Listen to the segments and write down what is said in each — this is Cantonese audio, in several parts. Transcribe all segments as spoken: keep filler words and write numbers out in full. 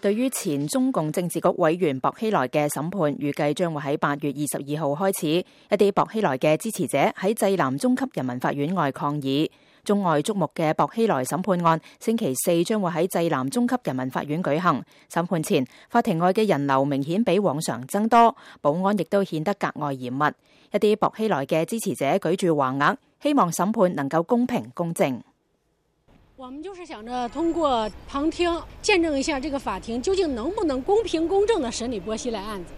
對於前中共政治局委員薄熙來嘅審判，預計將會喺八月二十二號開始。一啲薄熙來嘅支持者喺濟南中級人民法院外抗議。中外矚目嘅薄熙來審判案，星期四將會喺濟南中級人民法院舉行。審判前，法庭外嘅人流明顯比往常增多，保安亦都顯得格外嚴密。一啲薄熙來嘅支持者舉住橫額，希望審判能夠公平公正。我們就是想着通過旁聽見證一下這個法庭究竟能不能公平公正地審理薄熙來案子。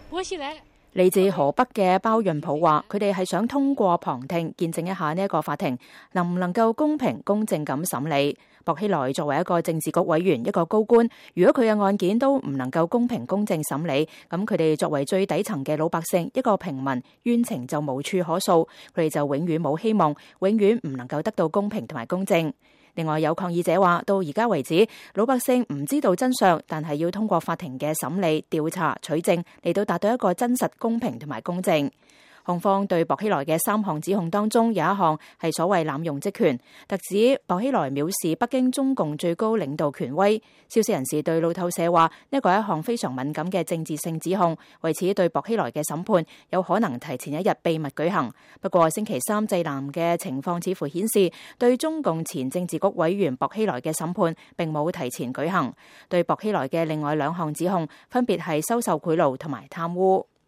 薄熙來嚟自河北嘅包潤普話，佢哋係想通過旁聽見證一下呢一個法庭能唔能夠公平公正咁審理。薄熙來作為一個政治局委員，一個高官，如果佢嘅案件都唔能夠公平公正審理，咁佢哋作為最底層嘅老百姓，一個平民，冤情就無處可訴，佢哋就永遠冇希望，永遠唔能夠得到公平同埋公正。另外有抗議者話，到而家為止，老百姓唔知道真相，但係要通過法庭嘅審理、調查、取證嚟到達到一個真實、公平同埋公正。控方對薄熙來嘅三項指控當中，有一項係所謂濫用職權，特指薄熙來藐視北京中共最高領導權威。消息人士對路透社話，呢個係一項非常敏感嘅政治性指控，為此對薄熙來嘅審判有可能提前一日秘密舉行。不過星期三濟南嘅情況似乎顯示，對中共前政治局委員薄熙來嘅審判並冇提前舉行。對薄熙來嘅另外兩項指控，分別係收受賄賂同埋貪污。